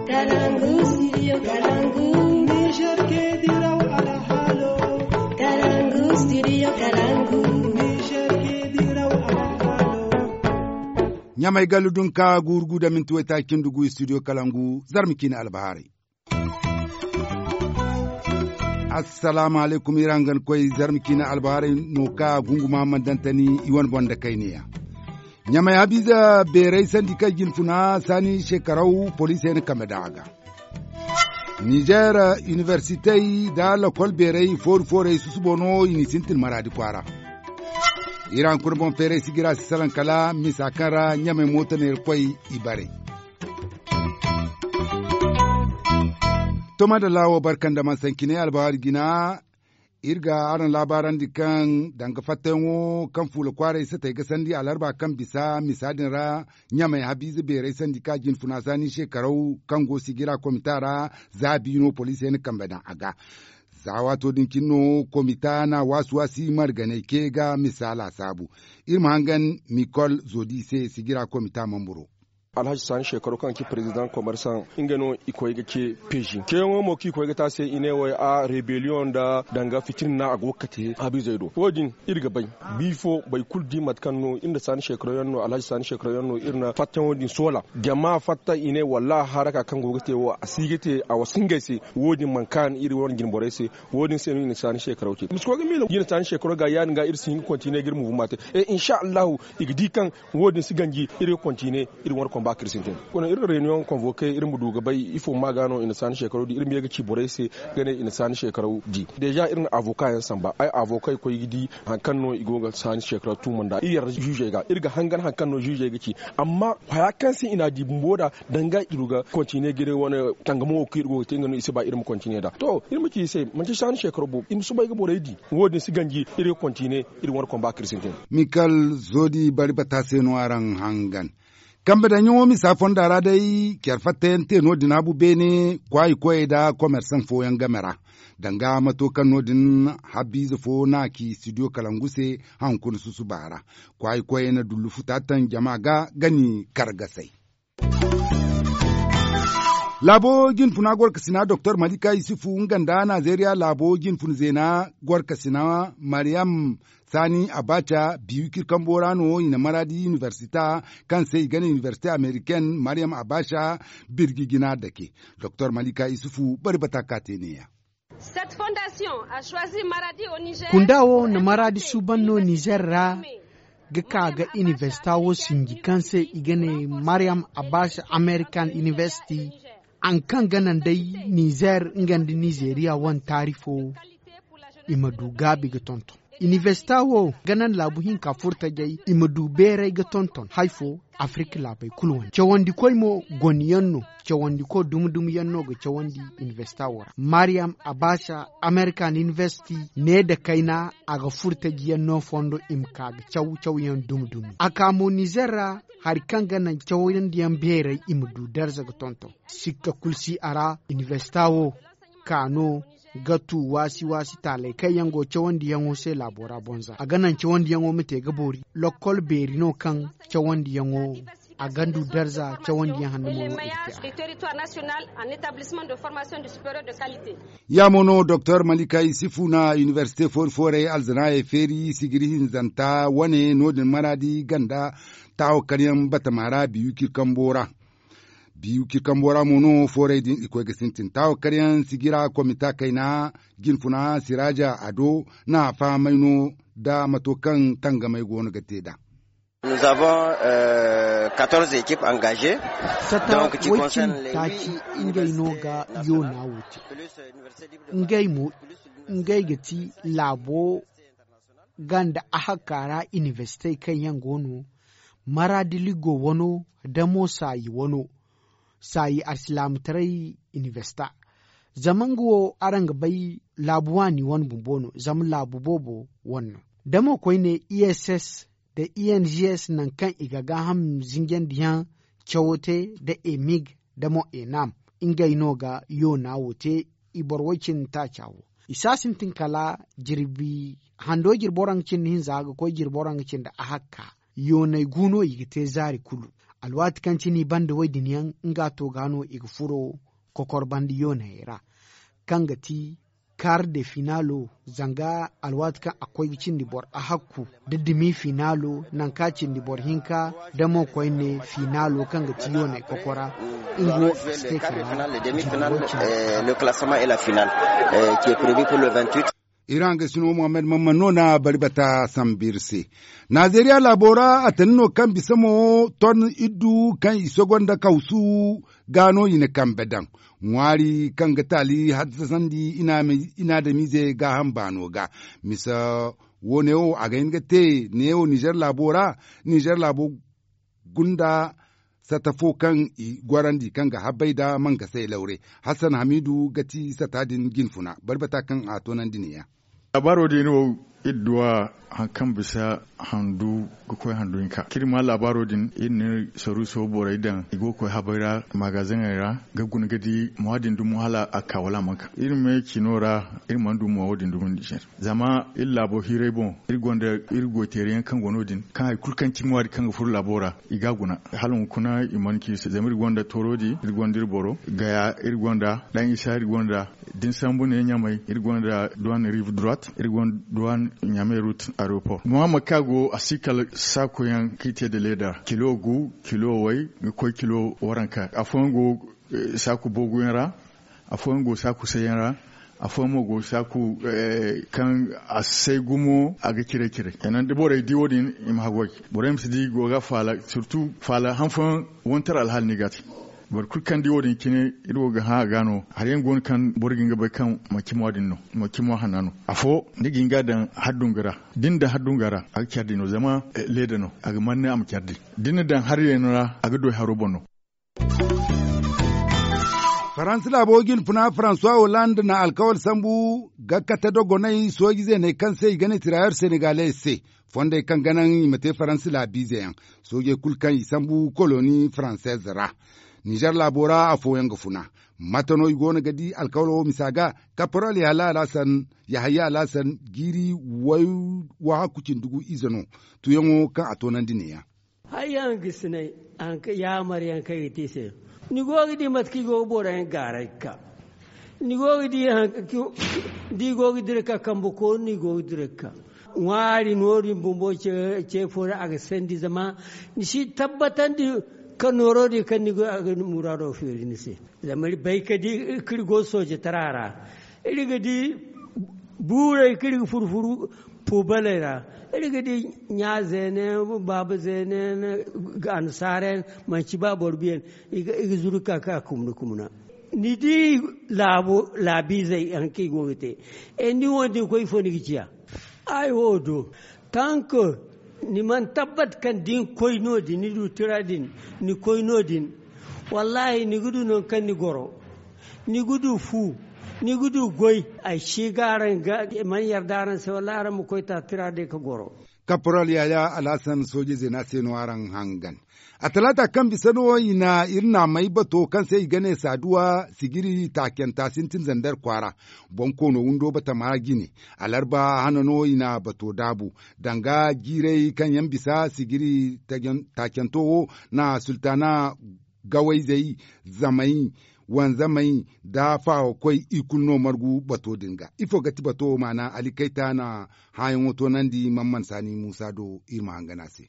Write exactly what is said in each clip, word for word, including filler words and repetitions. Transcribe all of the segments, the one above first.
Kalangu, studio Kalangu. Niger ke diraw alhalo. Kalangu, studio Kalangu. Niger ke diraw alhalo. Ɲamay gallu dunka guuru gu da minti waytaaci cindi gu studio Kalangu, zarma ciine albahaarey. Assalaamu alaykum, iri hangan koy zarma ciine albahaarey no ka gunguma mandantani i wane boŋ da kayneya. Ɲamay habiize beerey sandi kaŋ jine funa saani shekaraw poliisey na kambe daŋ a ga. Nizer iniversitey nda lokol beerey foori-foorey susubo no i n'i sintin maraadi kwaara. Iri hankuna boŋ feeray sijira si salaŋ kala misa kaŋ ra ɲamay mooto neera koy i bare. Toma da laawo barka nda mansancinay albahaari jina. Iri ga araŋ laabaarandi kaŋ danga fattayaŋo kaŋ fuula kwaaray satey ga sandi alarba kaŋ bisa misa din ra ɲamay habiize beerey sandi ka jine funa saani shekaraw kaŋ go sijira komita ra za biino poliisey na kambe daŋ a ga. Za waato din cine no komita na waasi-waasi marganey ke ga misa laasaabu. Iri ma hangan mikol zodi se sijira komita mamburo. Alhaji saani shekaro kaŋ ga ci perezidaŋ komersaŋ nga no i koy ga ce peezi ceeyaŋo mo kaŋ i koy ga te a se i ne wo a rebellion nda danga fitina a go ga kate habiizey do wo- din iri ga bay. Bifo boro kulu di mate kaŋ no iri nda saani shekaro yaŋ no alhaji saani shekaro yaŋ no iri na fattayaŋo din soola jama fatta i ne wallaahi haraka kaŋ go ga te wo a si ga te a wasa ngey se. Wo- din mana kaanu iri wane jine borey se. Wo- din se no i na saani shekaro te i ma si koy ga miila i na saani shekaro ga ya- din ga iri si hin ga kontine ga iri muvuma te. E insa allahu i ga di kaŋ wo- din si ganji iri ga kontine iri wane komba kaŋ iri sintin. Kuna iri na reyuniyoŋ konvoke iri ma du ga bay ifo ma ga no i na saani shekaro di iri ma ye ga ci borey se ga ne i na saani shekaro di. Deeza iri na avoka yaŋ samba ay avoka i koy ga di hari kaŋ no i go ga saani shekaro tuuma nd'a iri yarda ziizey ga iri ga hangan hari kaŋ no ziizey ga ci. Amma haya kaŋ se i n'a di bumbo nd'a danga i du ga kontine ga iri wane tangamo wo kaŋ iri go ga te nga no i si ba iri ma kontine nd'a to iri ma ci i se manti saani shekaro boobo i ma soobay ga borey di. Wo- din si ganji iri ga kontine iri wane komba kaŋ iri sintin. Mikal zodi bari bata se no araŋ hangan. Kambe daŋyaŋo misa fonda ra day care fattayaŋ te no- din habu beene kwaayi koyey nda komersaŋ fooyaŋ game ra. Danga mato kaŋ no- din habiize fo no a ci studio kalangu se haŋ kuna susuba ra. Kwaayi koyey na dullu futa taŋ jama ga ga ni kargasay. Laabo jinfuna gorkasina doktor malika yusufu nga nda nazeeriya laabo jinfuna zeena gorkasina mariyam saani abaaca biyu kirkambo ra no i na maraadi inibersita kaŋ se i ga ne inibersite ameriken mariyam abaaca birji jina dake. Doktor malika yusufu bari bata ka te neeya. Kunda wo na maraadi suuban no nizer ra ga ka ga inibersita wo sinji kaŋ se i ga ne mariyam abaaca amerikan inibersiti. Haŋ kaŋ ga naŋ day nizer nga nda nizeriya wane taari fo i ma du gaabi ga tonton. Inibersita wo ga naŋ laabu hinka furtajey i ma du beeray ga tonton hari fo. Afirika laabey kulu wane cawandikoy mo goniyaŋ no. Cawandiko dumi-dumi yaŋ no ga cawandi inibersita wo ra mariyam abaaca amerikan inibersiti ne nda kayna a ga furtaji yaŋ no fondo i ma ka ga caw-caw yaŋ dumi-dumi a ka mo nizer ra. Hari kaŋ ga naŋ cawandi yaŋ beeray i ma du darza ga tonton sikka kulu si a ra. Inibersita wo ka no ga tu waasi-waasi taaley kaŋ yaŋ go cawandiyaŋo se laabo ra bonza a ga naŋ cawandiyaŋo ma te ga boori. Lokkol beeri no kaŋ cawandiyaŋo a ga du darza cawandiyaŋ hanno mo no i ga te a ra. Ya mo no doktor malika yusufu na inibersite foori-foorey alzanaayey feeri sijiri hinzanta wane no- din maraadi ganda taawo karyaŋ batama ra biyu kirkambo ra. Biyu kirkambo ra mo no foorey din i koy ga sintin taawo karyaŋ sijira komita kayna jinfuna siraaja ado na a fahamay no nda mato kaŋ tangamey go no ga te nd'a. Sata way cindi taaci ngey no ga yoona wo te. Ngey mo ngey ga ti laabo ganda ahakka ra inibersitey kaŋ yaŋ go no maraadi ligo wano da mo saayi wano saayi alsilaamataray inibersita. Zama nga wo araŋ ga bay laabu waani wane bumbo no zama laabu boobo wane no. Da mo koyne i s s nda i n g s nangu kaŋ i ga gaaham zinjandiyaŋ cawo te nda emig nda mo enam ngey no ga yoona wo te. I boro way cindi taaca wo i si a sintin kala jirbi hando jirbi waraŋ ga cindi hinza ga koy jirbi waraŋ ga cindi ahakka. Yooney gu no i ga te zaari kulu. Alwaati kaŋ cine i banda wo- din yaŋ nga to ga no i ga furo kokor banda yoonayey ra, kaŋ ga ti kaar de finaalo. Zanga alwaati kaŋ a koy ga cindi boro ahakku nda demi finaalo, nangu kaŋ a cindi boro hinka, nda mo koyne finaalo kaŋ ga ti yoonay kokora. Nga wo a si te kala. Iri hangey sino muhammad mamman no na bari bata sambu iri se. Nazeriya laabo ra a tana no kaŋ bisa mo ton iddu kaŋ i sogo nda kawsu ga no i na kambe daŋ ŋwaari kaŋ ga taali haddasandi inaadamize gaaham baano ga. Misa wo ne wo a ga hin ga te ne wo nizer laabo ra. Nizer laabo gunda sata fo kaŋ i gorandi kaŋ ga habbay nda mankasay lawre. Hassan hamiidu ga ti sata din jinfuna bari bata kaŋ a toonandi neeya. Laabaaro din wo iri duw'a hari kaŋ bisa handu ga koy handu hinka kaŋ iri ma laabaaro din iri na iri saruuso borey daŋ i go ga koy habay ra magazeŋey ra ga guna ga di mo wo- din dumo hala a ka wala a mana ka iri me cino ra. Iri mana du mo wo- din dumo nizer zama iri laabo hiiray boŋ iri gonda iri goy teeri yaŋ kaŋ go no- din kaŋ hari kulu kaŋ cimi waadi kaŋ ga furo laabo ra i ga a guna. Hala hunkuna i mana ci se zama iri gonda toorodi iri gonda iri boro gaya iri gonda daŋ isa iri gonda da ni sambu ne ɲamay iri gonda duwan rive droite iri gonda duwan ɲamay route aeroport muhammad kaŋ a go a si kala saaku yaŋ kaŋ i te nda leeda kilo gu kilo way ga koy kilo waranka afooyaŋ go saaku boogu yaŋ ra. Afooyaŋ go saaku say yaŋ ra. Afooyaŋ mo go saaku kaŋ a say gumo a ga ciray ciray kenan da borey di wo- din i ma haggoy borey ma si di go ga faala surtu faala han fooyaŋ wantar alhaali no i ga a te. Boro kulu kaŋ di wo- din cine iri wo ga hã a ga no hari yaŋ go no kaŋ boro ga hin ga bay kaŋ manci mo- din no manci mo hanna no. Afo ni ga hin ga a daŋ haddunga ra da ni na daŋ haddunga ra a ga care di no zama leeda no a ga manne a ma care di da ni na daŋ haryaŋ ra a ga doy haro boŋ no. Faransa laabo jinfuna faransuwa holand na alkawal sambu ga kate dogonay sooji zeeney kaŋ se i ga ne tirayer senegales se fondey kaŋ ga naŋ i ma te faransa laabiize yaŋ. Soojey kulu kaŋ i sambu koloni faranseez ra nizer laabo ra afooyaŋ ga funa. Mate no i go no ga di alkawalo misa ga kaporal yahaya alhasan jiiri wahakku cindi gu ize no. Tuyaŋo kaŋ a toonandi neeya. Hari yaŋ ga sinay yaamar yaŋ kaŋ i ga te i se. Ni go ga di mate kaŋ i go ga boro yaŋ gaaray ga ka ni go ga di da i go ga dira ga ka kambe koonu no i go ga dira ga ka. Ŋwaari noodin bumbo ce fo ra a ga sandi zama ni si tabbatandi ka nooro din kaŋ ni go a ga muraado feeri ni se. Zama iri bay ka di kaŋ iri go soojatara ra iri ga di buurey kaŋ iri ga furu furu puubaley ra. Iri ga di ɲa zeene baaba zeene annasaara yaŋ manci ba boro biyan. I ga zuru ga ka ga kumna kumna ni di laabiizey hari kaŋ i go ga te. Ni wo din koy ifo ni ga ciya? Ay wo do tank ni mana tabbat kaŋ da ni koy no- din ni du tira din ni koy no- din. Wallaahi ni ga du nangu kaŋ ni goro ni ga du fu ni ga du goy. Ay si ga araŋ ga i mana yarda araŋ se wallaahi araŋ ma koy ta tira day ga goro. Kaporal yaya alhasan sooje zeena se no araŋ hangan. A talaata kaŋ bisa no i na iri naamey bato kaŋ se i ga ne saaduwa sijiri taacanta sintin zander kwaara. Boŋ koono windo batama jine alarba hana no i na bato daabu danga jiirey kaŋ yaŋ bisa sijiri taacanto wo na sultaana gawayzey zamey wanzamey nda faawakoy i kulu no margu bato din ga ifo ga ti bato wo maana ali kayta na hããyaŋo toonandi man man saani muusa do iri ma hangan a se.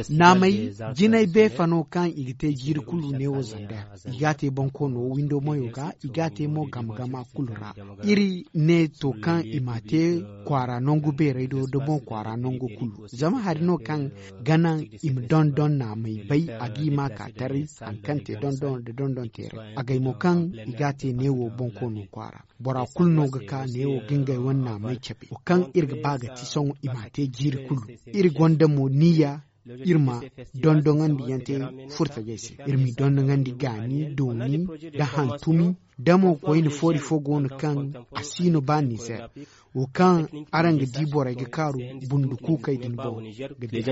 Naamey jinay beefa no kaŋ i ga te jiiri kulu neewo zanda i ga a te boŋ koono windo mayo ga i ga a te mo gama gama kulu ra. Iri ne to kaŋ i m'a te kwaara nangu beerey do da boŋ kwaara nangu kulu zama hari no kaŋ ga naŋ i ma dondon naamey bay a ga i ma ka taray hari kaŋ te dondon nda dondon teeray agay mo kaŋ i ga a te neewo boŋ koono kwaara. Bora kulu no ga ka neewo ga ngey wane naamey cabe wo kaŋ iri ga ba ga ti sohõ i m'a te jiiri kulu. Iri gonda mo niyya iri ma dondonandi yaŋ te furtajey se iri m'i dondonandi gaani dooni nda hantumi. Da mo koyne foori fo go no kaŋ a si no ba nizer wo kaŋ araŋ ga di borey ga kaaru bundu kuukey din boŋ ga di.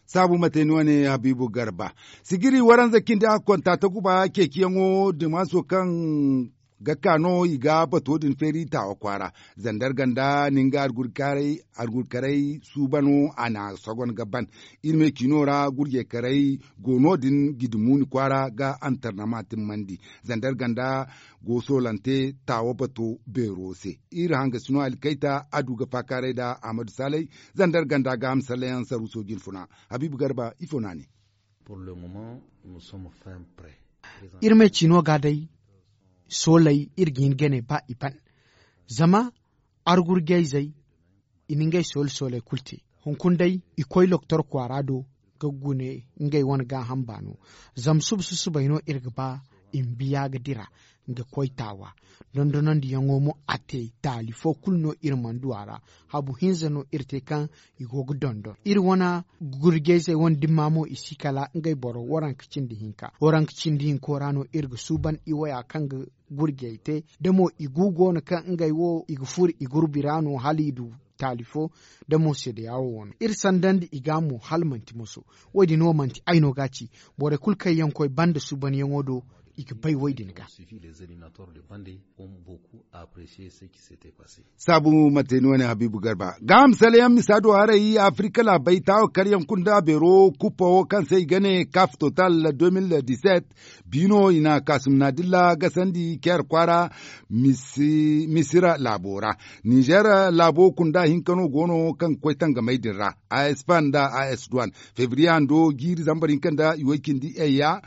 Saabu mate ni wane habiibu garba sigiri waranza cindi a konta ta guba ceeciyaŋo dimaaso kaŋ ga ka no i ga bato din feeri taawa kwaara. Zandar ganda ni nga argurkaray suuba no a na sogon ga ban. Iri me ciino ra gurjekaray go no- din gidimuuni kwaara ga antarnama timmandi. Zandar ganda go soolante taawa bato beero se. Iri hangasino alkayta a du ga faakaaray nda ahmadu saalay. Zandar ganda ga hamsallayaŋ saruuso jinfuna. Habiibu garba ifo no a ne. Iri me ciino ga day sooley iri ga hin ga ne ba i ban. Zama argurjayzey i na ngey soole sooley kulu te. Hunkuna day i koy loktor kwaara do ga gune ngey wane gaaham baano. Zama suba susubay no iri ga ba i ma biya ga dira ga koy taawa. Dondonandiyaŋo mo a te taali fo kulu no iri mana du a ra. Habu hinza no iri te kaŋ i go ga dondon iri wane gurjayzey wane dimma mo i si kala ngey boro waranka cindi hinka waranka cindi hinko ra no iri ga suuban i waya kaŋ ga gurjey te. Da mo i gu go no kaŋ ngey wo i ga furo i gurbi ra no hala i du taali fo. Da mo seedeya wo wano iri sandandi i ga mo hala manti moso. Wo- din wo manti ay no ga a ci. Borey kulu kaŋ yaŋ koy banda suubanyaŋo do i ga bay wo- din ga. Saabu mate ni wane habiibu garba gaaham saleyaŋ misa do haray afirika laabey taawa karyaŋ kulu nda beero kuppa wo kaŋ se i ga ne kaf total deux mille dix-sept. Biino i na kaasum naadilla gasandi keer kwaara misira laabo ra. Ninzeer laabo kunda hinka no go no kaŋ ga koy tangamey din ra. As fan nda as duwan febriye hando jiiri zambar hinka nda i way cindi eya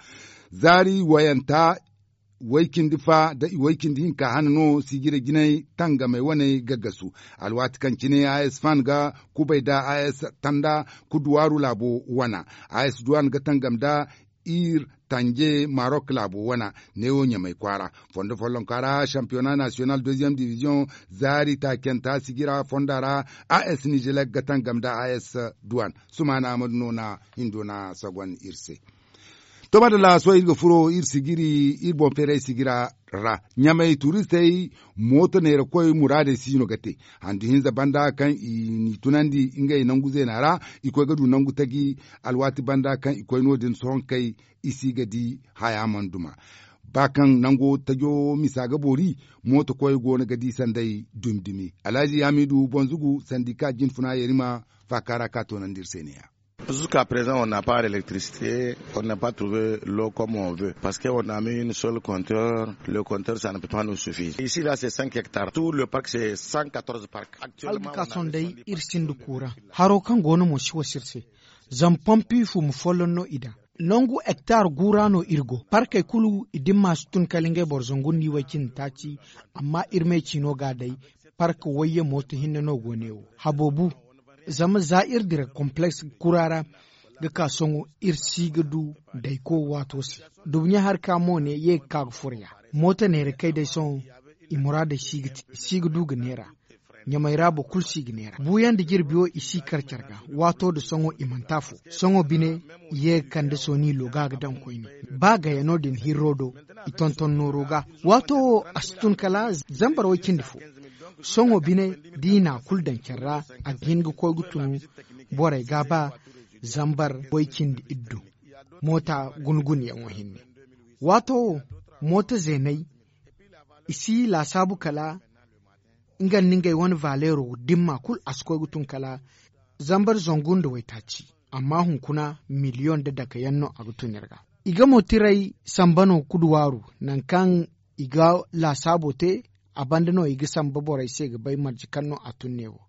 zaari wayanta way cindi fa nda i way cindi hinka hane no sijira jinay tangamey wane ga gasu. Alwaati kaŋ cine as fan ga kubay nda as tanda kuduwaaru laabo wana. As duwan ga tangam nda ir tanje marok laabo wana neewo ɲamay kwaara. Fondo follonka ra shampiyona nasiyonal deziyeem diviziyoŋ zaari taacanta sijira fonda ra. As nizelek ga tangam nda as duwan sumaana ahmadu no na hindo na sagon iri se. To madalla sohõ iri ga furo iri sijiri iri boŋ feeray sigira ra ɲamay turistey mooto neerakoy muraadey si no ga te. Handu hinza banda kaŋ i n'i tunandi ngey nangu zeena ra i koy ga du nangu taji. Alwaati banda kaŋ i koy no- din sohõ kay i si ga di haya mana duma. Ba kaŋ nango tajo misa ga boori mooto koy go no ga di sanday dumi dumi. Alhazi hamidu bonzugu sandika jinfuna yerima faaka ra ka toonandi iri se ne- ya. Zuska prezan on n'a pas l'électricité. On n'a pas trouvé l'eau comme on veut parce que on a mis une seule compteur. Le compteur ça ne peut pas nous suffire ici là c'est cinq hectares tout le parc c'est cent quatorze parcs. Actuellement hala ga ka sohõ day iri sinda kuura. Haro kaŋ go no mo si wasa iri se. Zama pompi fumu folloŋ no i daŋ. Nangu hektar gu ra no iri go parkey kulu i dimma si tun kala ngey boro zangu nda i way cindi taaci. Amma iri me ciino ga day park wayye mooto hinne no go ne wo habo bu. Zama za iri dira kompleks kura ra ga ka sohõ iri si ga du dayko waato se. Dubuɲa hari ka mo ne ye ga ka ga furo ya mooto neera kay day sohõ i muraadey si ga du ga neera. Ɲamay ra boro kulu si ga neera buuyaŋ da jirbi wo i si kar care ga. Waato da sohõ i manti afo sohõ bine i ye ga kande sooni looga ga daŋ koyne. Ba gaya no- din hirro do i tonton nooro ga. Waato wo a si tun kala zambar way cindi fo. Sohõ bine da i n'a kulu daŋ care ra a ga hin ga koy ga tun borey ga ba zambar way cindi iddu. Moota guna gunayaŋo hinne waato wo mooto zeeney i si laasaabu kala nga nda ngey wane valeero dimma kulu a si koy ga tun kala zambar zangu nda waytaaci. Amma hunkuna miliyoŋ nda dake yaŋ no a ga tun iri ga. I ga mo tiray samba no kuduwaaru nangu kaŋ i ga laasaabo te. A banda no i ga samba borey se ga bay marje kaŋ no a tun ne wo.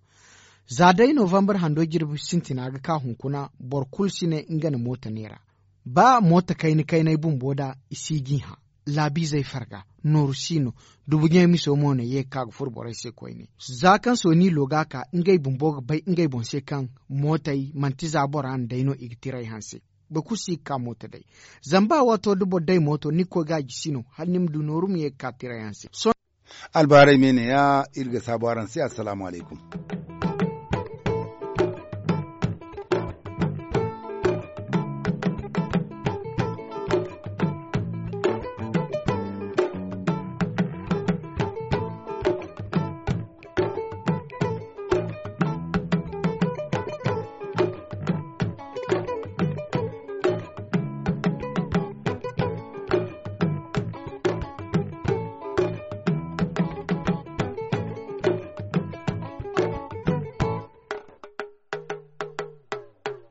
Za day novambar hando jirbi sintina ga ka hunkuna boro kulu si ne nga na mooto neera. Ba mooto kayna kaynay bumbo da i si g'i hã. Laabiizey farga nooru si no. Dubuɲey miso mo no ye ga ka ga furo borey se koyne za kaŋ sooni looga ka ngey bumbo ga bay ngey boŋ se kaŋ mootey manti za bora nda day no i ga tiray hanse. Boro kulu si ga ka mooto day. Zama ba waato da boro day mooto ni ga koy ga a jisi no hala ni ma du nooru ma ye ga ka tiray hanse. Albaarey me ne- ya iri ga saabu araŋ se assalaamu alaykum.